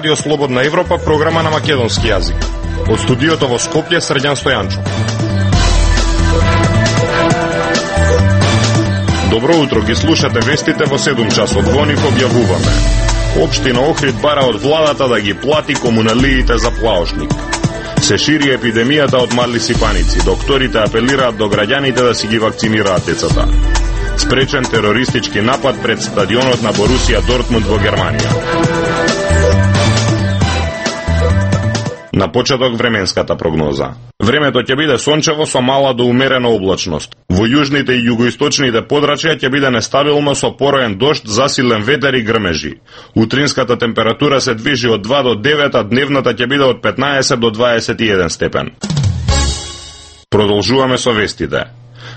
Радио Слободна Европа, програма на македонски јазик. Од студиото во Скопје, Срđan Стојанчов. Добро утро, ги слушате вестите во 7 часот. Во нив објавуваме: Општина Охрид бара од владата да ги плати комуналиите за плаошник. Се шири епидемијата од мали сипаници. Докторите апелираат до граѓаните да си ги вакцинираат децата. Спречен терористички напад пред стадионот на Борусија Дортмунд во Германија. На почеток временската прогноза. Времето ќе биде сончево со мала до умерена облачност. Во јужните и југоисточните подрачја ќе биде нестабилно со пороен дожд, засилен ветер и грмежи. Утринската температура се движи од 2 до 9, а дневната ќе биде од 15 до 21 степен. Продолжуваме со вестите.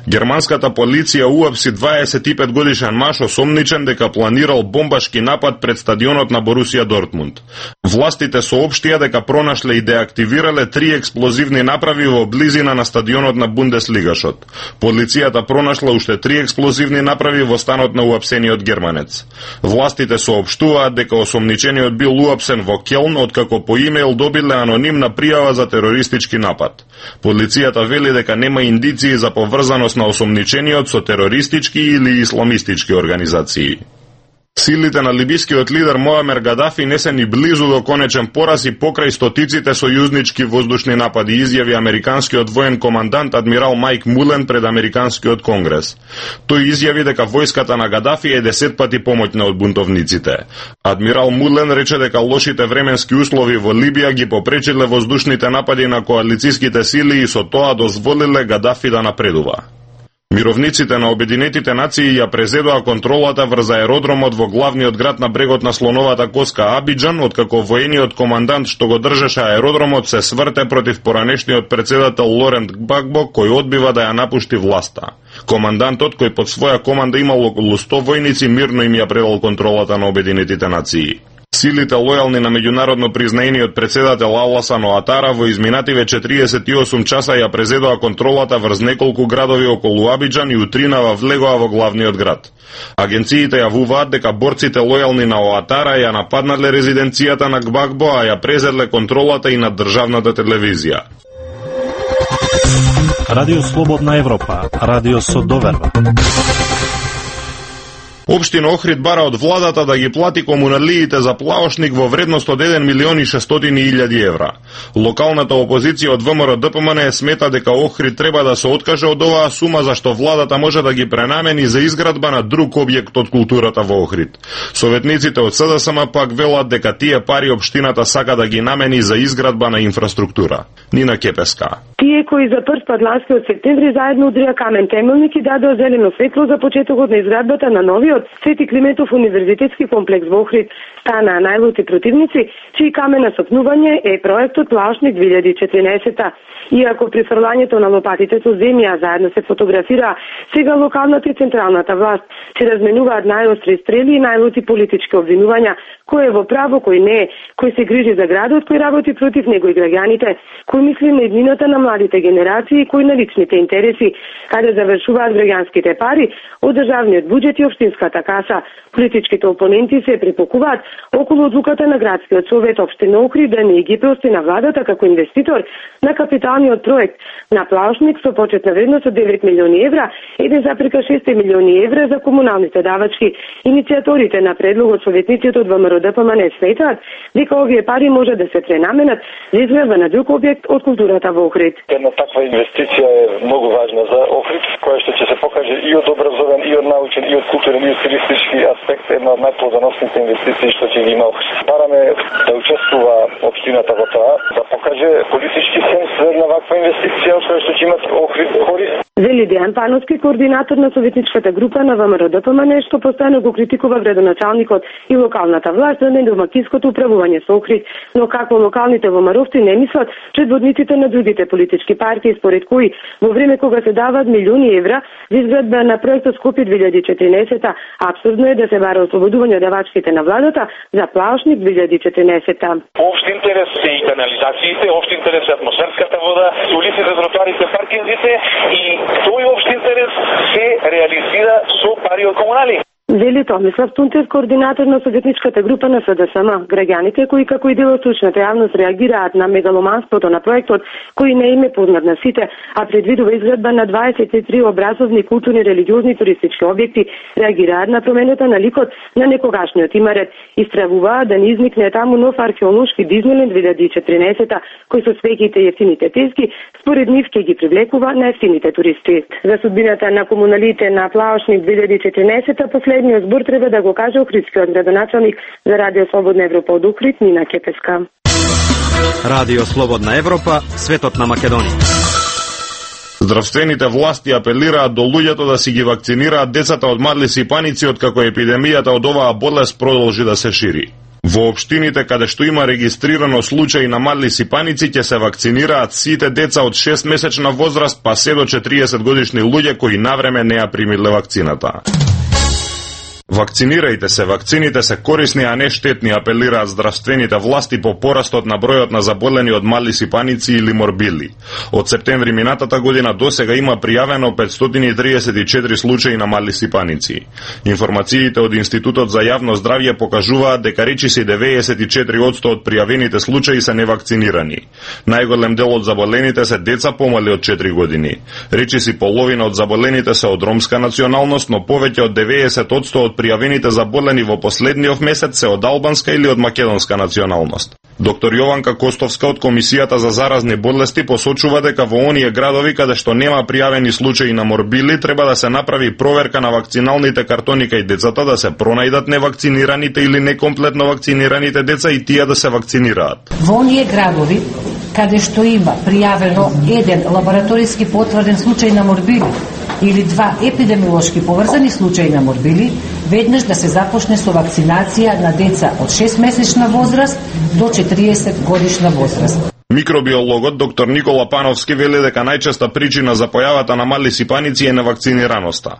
Германската полиција уапси 25 годишен маж осомничен дека планирал бомбашки напад пред стадионот на Борусија Дортмунд. Властите соопштија дека пронашле и деактивирале 3 експлозивни направи во близина на стадионот на Бундеслигашот. Полицијата пронашла уште 3 експлозивни направи во станот на уапсениот германец. Властите соопштуваат дека осомничениот бил уапсен во Келн, откако по имејл добиле анонимна пријава за терористички напад. Полицијата вели дека нема индиции за поврзаност на осомничениот со терористички или исламистички организации. Силите на либискиот лидер Моамер Гадафи не се ни близу до конечен пораз и покрај стотиците сојузнички воздушни напади, изјави американскиот воен командант адмирал Майк Мулен пред американскиот конгрес. Тој изјави дека војската на Гадафи е 10 пати помоќна од бунтовниците. Адмирал Мулен рече дека лошите временски услови во Либија ги попречиле воздушните напади на коалициските сили и со тоа дозволиле Гадафи да напредува. Мировниците на Обединетите нации ја презедоа контролата врз аеродромот во главниот град на брегот на слоновата коска Абиџан, откако воениот командант што го држеше аеродромот се сврте против поранешниот председател Лорент Gbagbo, кој одбива да ја напушти власта. Командантот, кој под своја команда имал околу 100 војници, мирно им ја предал контролата на Обединетите нации. Силите лојални на меѓународно признаениот председател Аласан Оатара во изминативе 48 часа ја презедоа контролата врз неколку градови околу Абиџан и утринава влегоа во главниот град. Агенциите јавуваат дека борците лојални на Оатара ја нападнале резиденцијата на Gbagbo, а ја презедле контролата и над државната телевизија. Радио Слободна Европа, радио со доверба. Општина Охрид бара од владата да ги плати комуналиите за плаошник во вредност од 1.600.000 евра. Локалната опозиција од ВМРО ДПМН смета дека Охрид треба да се откаже од оваа сума, зашто владата може да ги пренамени за изградба на друг објект од културата во Охрид. Советниците од СДСМ пак велат дека тие пари општината сака да ги намени за изградба на инфраструктура. Нина Кепеска. Тие кои за прв пат ласкиот септември заедно удрија камен темелник и дадоа зелено светло за почетокот на изградбата на новиот Свети Климентов универзитетски комплекс во Охрид, станаа најлути противници, чии камен на сопнување е проектот Плаошник 2014. Иако при фрлањето на лопатите со земја заедно се фотографира, сега локалната и централната власт се разменуваат најостри стрели и најлути политички обвинувања, кој е во право, кој не е, кој се грижи за градот, кој работи против него и граѓаните, кој мисли на еднината на младите генерации и кој на личните интереси, каде завршуваат граѓанските пари од државниот буџет и општинската каса. Политичките опоненти се препокуваат околу одлуката на градскиот совет општина Охрид да не ги прости на владата како инвеститор на капиталниот проект на плаошник со почетна вредност од 9 милиони евра, 1,6 милиони евра за комуналните давачки. Иницијаторите на предлогот советниците од ВМРО ДПМН сметаат дека овие пари може да се пренаменат за изградба на друг објект од културата во Охрид. Една таква инвестиција е многу важна за Охрид, која што ќе се покаже и од образовен, и од научен, и од културен, и од туристички аспект, една од најплодоносните инвестиции што ќе ги има Охрид. Бараме да учествува општината во тоа, да покаже политички сенс за една ваква инвестиција, од која што ќе имат Охрид корист. Вели Дејан Пановски, координатор на советничката група на ВМРО ДПМН, што постојано го критикува градоначалникот и локалната власт за недомакинското управување со Охрид, но како локалните ВМРО-вци не мислат предводниците на другите политички партии, според кои во време кога се даваат милиони евра за изградба на проектот Скопје 2014, абсурдно е да се бара ослободување од давачките на владата за Плаошник 2014. Општ интерес се и канализациите, општ интерес е атмосферската вода, улиците, тротоарите, паркингите и тој општ интерес се реализира со пари од комунали. Вели Томислав Тунтев, координатор на советничката група на СДСМ. Граѓаните кои како и дел од стручната јавност реагираат на мегаломанството на проектот, кој не им е познат на сите, а предвидува изградба на 23 образовни, културни, религиозни туристички објекти, реагираат на промената на ликот на некогашниот имарет, истравуваат да не изникне таму нов археолошки Дизниленд 2014, кој со свеќите и ефтините тески според нив ќе ги привлекува на ефтините туристи. За судбината на комуналите на Плаошник 2014 последниот збор треба да го каже охридскиот градоначалник за Радио Слободна Европа од Охрид, Нина Кепеска. Радио Слободна Европа, светот на Македонија. Здравствените власти апелираат до луѓето да си ги вакцинираат децата од мадли сипаници откако епидемијата од оваа болест продолжи да се шири. Во општините каде што има регистрирано случаи на мадли сипаници ќе се вакцинираат сите деца од 6-месечна возраст па се до 40 годишни луѓе кои навреме не ја примиле вакцината. Вакцинирајте се, вакцините се корисни, а не штетни, апелираат здравствените власти по порастот на бројот на заболени од мали сипаници или морбили. Од септември минатата година досега има пријавено 534 случаи на мали сипаници. Информациите од Институтот за јавно здравје покажуваат дека речиси 94% од пријавените случаи се невакцинирани. Најголем дел од заболените се деца помали од 4 години. Речиси половина од заболените се од ромска националност, но повеќе од 90% од пријавените заболени во последниот месец се од албанска или од македонска националност. Доктор Јованка Костовска од Комисијата за заразни болести посочува дека во оние градови каде што нема пријавени случаи на морбили треба да се направи проверка на вакциналните картони кај децата, да се пронајдат невакцинираните или некомплетно вакцинираните деца и тие да се вакцинираат. Во оние градови каде што има пријавено еден лабораториски потврден случај на морбили или два епидемиолошки поврзани случаи на морбили, веднаш да се започне со вакцинација на деца од 6-месечна возраст до 40 годишна возраст. Микробиологот доктор Никола Пановски вели дека најчеста причина за појавата на мали сипаници е невакцинираноста.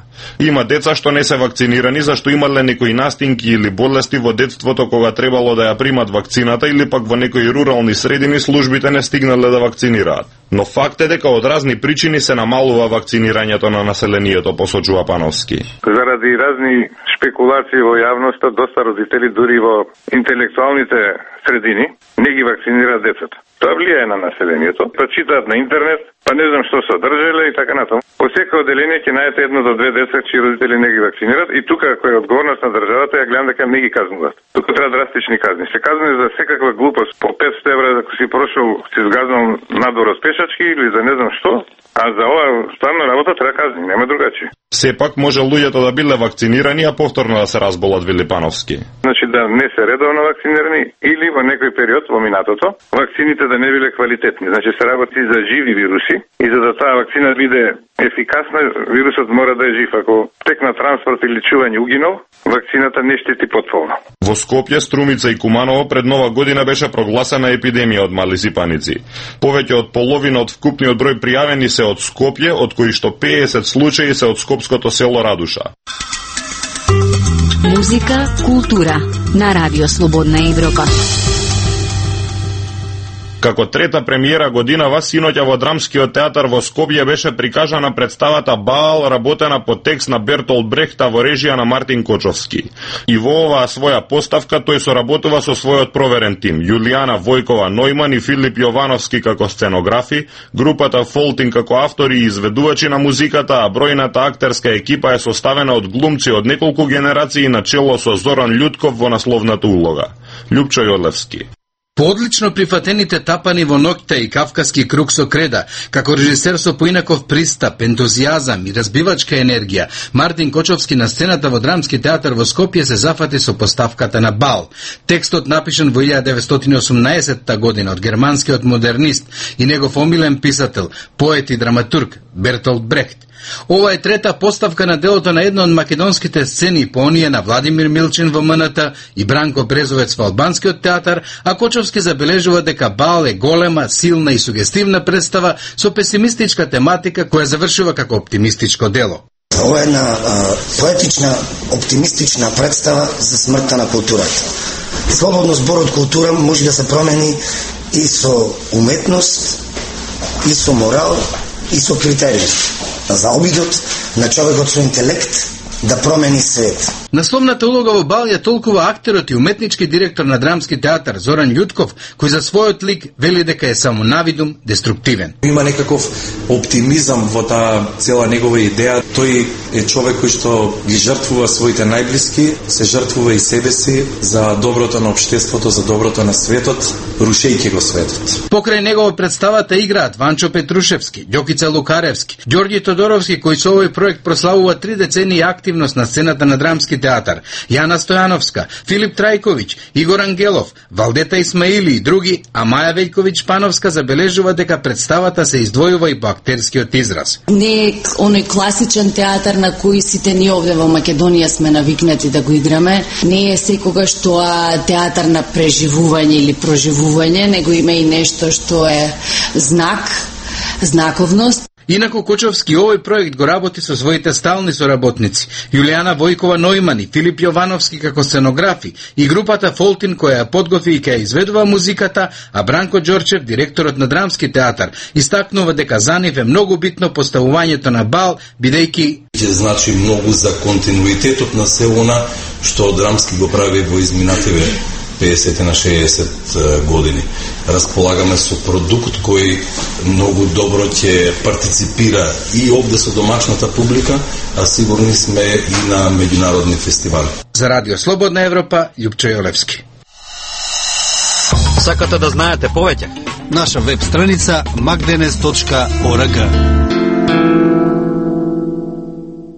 Има деца што не се вакцинирани зашто имале некои настинки или болести во детството кога требало да ја примат вакцината или пак во некои рурални средини службите не стигнале да вакцинираат. Но факт е дека од разни причини се намалува вакцинирањето на населението, посочува Пановски. Заради разни шпекулации во јавноста, доста родители дури во интелектуалните средини не ги вакцинираат децата. Тоа влијае на населението. Па читаат на интернет, па не знам што содржале и така натаму. По секој одделение ќе најдете едно до две деца чии родители не ги вакцинираат и тука кој е одговорност на државата, ја гледам дека не ги казнуваат. Тука треба драстични казни. Се казни за секаква глупост. По 500 евра ако си прошол, си згазнал надвор од пешачки или за не знам што, а за ова стварна работа треба казни, нема другачи. Сепак може луѓето да биле вакцинирани, а повторно да се разболат, вели Пановски. Значи да не се редовно вакцинирани или во некој период во минатото, вакцините да не биле квалитетни. Значи се работи за живи вируси и за да таа вакцина биде ефикасна, вирусот мора да е жив. Ако тек на транспорт или чување угинал, вакцината не штети потполно. Во Скопје, Струмица и Куманово пред Нова година беше прогласена епидемија од мали сипаници. Повеќе од половина од вкупниот број пријавени се од Скопје, од кои што 50 случаи се од скопското село Радуша. Музика, култура на Радио Слободна Европа. Како трета премиера годинава, синоќа во Драмскиот театар во Скопје беше прикажана представата Баал, работена по текст на Бертолд Брехта во режија на Мартин Кочовски. И во оваа своја поставка тој соработува со својот проверен тим, Јулијана Војкова Нојман и Филип Јовановски како сценографи, групата Фолтин како автори и изведувачи на музиката, а бројната актерска екипа е составена од глумци од неколку генерации на чело со Зоран Љутков во насловната улога. Љупчо Јолевски. По одлично прифатените тапани во ноќта и кавкаски круг со креда, како режисер со поинаков пристап, ентузијазам и разбивачка енергија, Мартин Кочовски на сцената во Драмски театар во Скопје се зафати со поставката на Бал. Текстот напишан во 1918 година од германскиот модернист и негов омилен писател, поет и драматург Бертолд Брехт. Ова е трета поставка на делото на една од македонските сцени по оние на Владимир Милчин во МНТ и Бранко Брезовец во Албанскиот театар, а Кочовски забележува дека Бал е голема, силна и сугестивна представа со песимистичка тематика која завршува како оптимистичко дело. Ова е една поетична, оптимистична представа за смртта на културата. Слободно зборот култура може да се промени и со уметност, и со морал, и со критерии. За обидот на човекот со интелект да промени свет. Насловната улога во бал ја толкува актерот и уметнички директор на Драмски театар Зоран Љутков, кој за својот лик вели дека е само навидум деструктивен. Има некаков оптимизам во таа цела негова идеја. Тој е човек кој што ги жртвува своите најблиски, се жртвува и себе си за доброто на општеството, за доброто на светот, рушејќи го светот. Покрај него представата играат Ванчо Петрушевски, Ѓокица Лукаревски, Ѓорѓи Тодоровски, кој со овој проект прославува 3 децении активност на сцената на Драмски театар, Јана Стојановска, Филип Трајковиќ, Игор Ангелов, Валдета Исмаили и други, а Маја Велјковиќ Пановска забележува дека представата се издвојува и по актерскиот израз. Не е оној класичен театар на кој сите ние овде во Македонија сме навикнати да го играме. Не е секогаш тоа театар на преживување или проживување, него има и нешто што е знаковност. Инаку Кочовски овој проект го работи со своите стални соработници, Јулијана Војкова Нојмани, Филип Јовановски како сценографи и групата Фолтин која ја подготви и ќе изведува музиката, а Бранко Ѓорчев, директорот на Драмски театар, истакнува дека за нив е многу битно поставувањето на бал, бидејќи ќе значи многу за континуитетот на се она што Драмски го прави во изминативе 50 на 60 години. Располагаме со продукт кој многу добро ќе партиципира и овде со домашната публика, а сигурни сме и на меѓународни фестивали. За Радио Слободна Европа, Љупчо Јолевски. Сакате да знаете повеќе? Наша веб страница magdenes.org.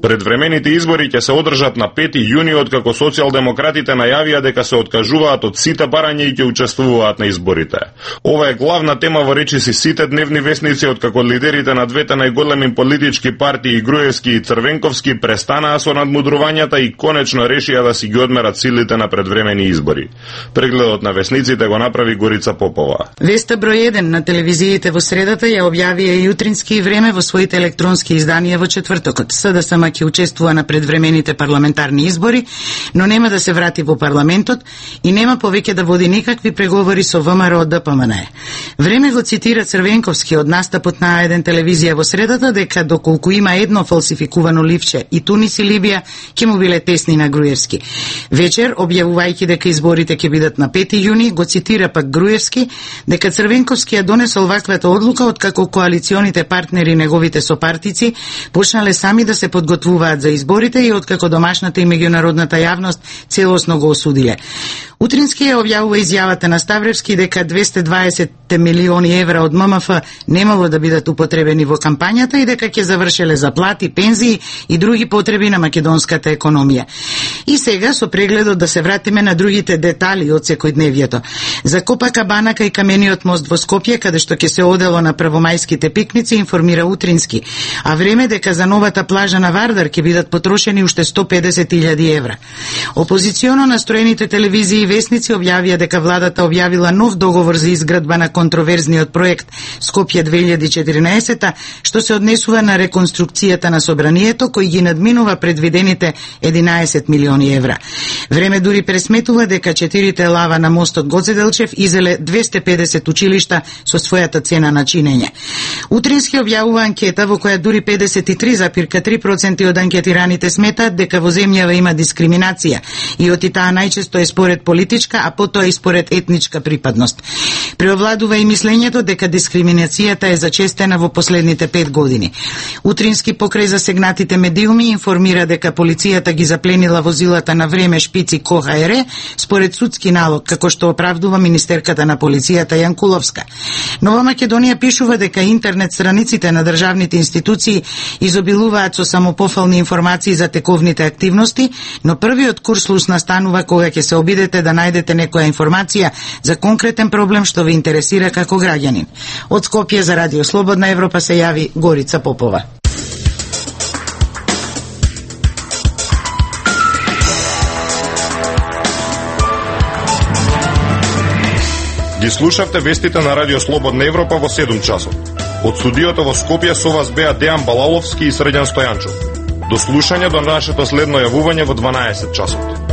Предвремените избори ќе се одржат на 5 јуни, откако социјалдемократите најавија дека се откажуваат од сите барања и ќе учествуваат на изборите. Ова е главна тема во речиси сите дневни весници, откако лидерите на двете најголеми политички партии, Груевски и Црвенковски, престанаа со надмудрувањата и конечно решија да си ги одмерат силите на предвремени избори. Прегледот на весниците го направи Горица Попова. Веста број 1 на телевизиите во средата ја објавија и Утрински и Време во своите електронски изданија во четвртокот. СДСМ ќе учествува на предвремените парламентарни избори, но нема да се врати во парламентот и нема повеќе да води никакви преговори со ВМРО ДПМН. Време го цитира Црвенковски од настапот на еден телевизија во средата дека доколку има едно фалсификувано ливче и Тунис и Либија ќе му биле тесни на Груевски. Вечер, објавувајќи дека изборите ќе бидат на 5 јуни, го цитира пак Груевски дека Црвенковски ја донесол ваквата одлука откако коалиционите партнери неговите сопартици почнале сами да се подготвуваат за изборите и откако домашната и меѓународната јавност целосно го осудиле. Утрински ја објавува изјавата на Ставревски дека 220 милиони евра од ММФ немало да бидат употребени во кампањата и дека ќе завршеле за плати, пензии и други потреби на македонската економија. И сега со прегледот да се вратиме на другите детали од секојдневието. За Копакабанака и камениот мост во Скопје, каде што ќе се одело на првомајските пикници, информира Утрински, а Време дека за новата плажа на Вардар ќе бидат потрошени уште 150.000 евра. Опозиционо настроените телевизии и весници објавија дека владата објавила нов договор за изградба на контроверзниот проект Скопје 2014, што се однесува на реконструкцијата на собранието, кој ги надминува предвидените 11 милиони евра. Време дури пресметува дека 4 лава на мостот Гоце Делчев изеле 250 училишта со својата цена на чинење. Утрински објавува анкета во која дури 53,3% од анкетираните сметаат дека во земјава има дискриминација и оти таа најчесто е според политичка, а потоа и според етничка припадност. Преовладува и мислењето дека дискриминацијата е зачестена во последните 5 години. Утрински покрај засегнатите медиуми информира дека полицијата ги запленила возилата на Време, Шпици и КХР според судски налог, како што оправдува министерката на полицијата Јанкуловска. Нова Македонија пишува дека интернет страниците на државните институции изобилуваат со самопофални информации за тековните активности, но првиот курслус настанува кога ќе се обидете да најдете некоја информација за конкретен проблем што ве интересира како граѓанин. Од Скопје за Радио Слободна Европа се јави Горица Попова. Ги слушавте вестите на Радио Слободна Европа во 7 часот. Од студиото во Скопје со вас беа Дејан Балаловски и Среđan Стојанчов. До слушање до нашето следно јавување во 12 часот.